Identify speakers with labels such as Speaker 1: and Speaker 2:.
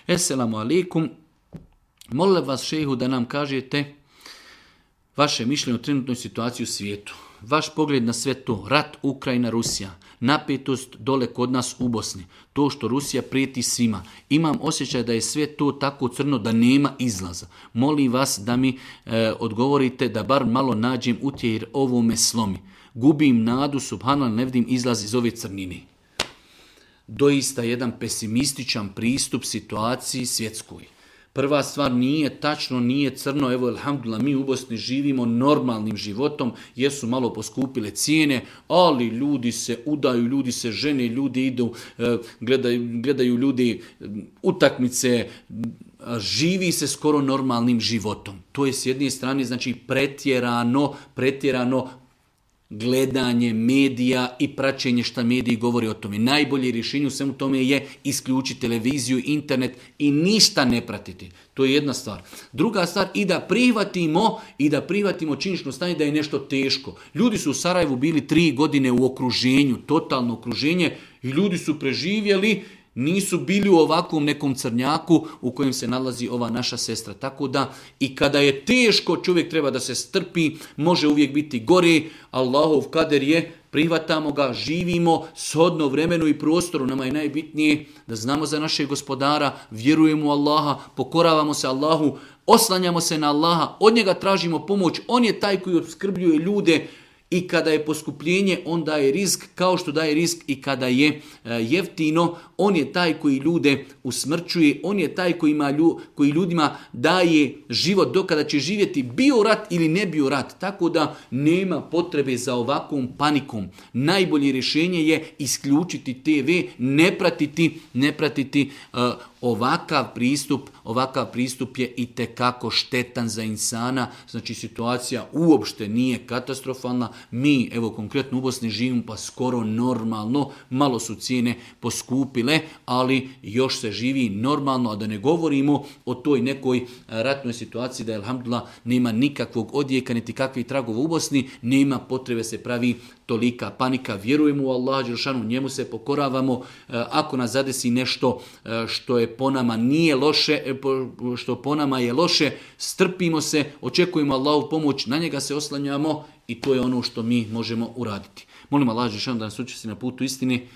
Speaker 1: Esselamu alaikum. Molim vas šehu da nam kažete vaše mišljenje o trenutnoj situaciji u svijetu. Vaš pogled na sve to, rat Ukrajina, Rusija, napetost dole kod nas u Bosni, to što Rusija prijeti svima. Imam osjećaj da je sve to tako crno da nema izlaza. Molim vas da mi odgovorite da bar malo nađem utjehe jer ovo me slomi. Gubim nadu, subhanallah, ne vidim izlaz iz ove crnine. Doista jedan pesimističan pristup situaciji svjetskoj. Prva stvar, nije tačno, nije crno, evo alhamdulillah, mi u Bosni živimo normalnim životom, jesu malo poskupile cijene, ali ljudi se udaju, ljudi se žene, ljudi idu, gledaju ljudi utakmice, živi se skoro normalnim životom. To je s jedne strane znači pretjerano gledanje medija i praćenje šta mediji govori o tome. Najbolje rješenje u svemu tome je isključiti televiziju, internet i ništa ne pratiti. To je jedna stvar. Druga stvar, i da prihvatimo činjenično stanje da je nešto teško. Ljudi su u Sarajevu bili 3 godine u okruženju, totalno okruženje, i ljudi su preživjeli, nisu bili u ovakvom nekom crnjaku u kojem se nalazi ova naša sestra. Tako da i kada je teško, čovjek treba da se strpi, može uvijek biti gore. Allahov kader je, prihvatamo ga, živimo shodno vremenu i prostoru. Nama je najbitnije da znamo za našeg gospodara, vjerujemo u Allaha, pokoravamo se Allahu, oslanjamo se na Allaha, od njega tražimo pomoć. On je taj koji opskrbljuje ljude. I kada je poskupljenje, on daje rizik, kao što daje rizik i kada je jeftino. On je taj koji ljude usmrćuje, on je taj koji ljudima daje život dokada će živjeti, bio rat ili ne bio rat. Tako da nema potrebe za ovakvom panikom. Najbolje rješenje je isključiti TV, ne pratiti ovakav pristup je itekako štetan za insana. Znači situacija uopšte nije katastrofalna. Mi, evo konkretno u Bosni živimo pa skoro normalno, malo su cijene poskupile, ali još se živi normalno, a da ne govorimo o toj nekoj ratnoj situaciji da je alhamdulillah nema nikakvog odjeka niti kakvih tragova u Bosni, nema potrebe se pravi tolika panika. Vjerujemo u Allaha dželešanu, njemu se pokoravamo. Ako nas zadesi nešto što je po nama nije loše, što po nama je loše, strpimo se, očekujemo Allahovu pomoć, na njega se oslanjamo i to je ono što mi možemo uraditi. Molim Allaha dželešanu da nas učvrsti na putu istine.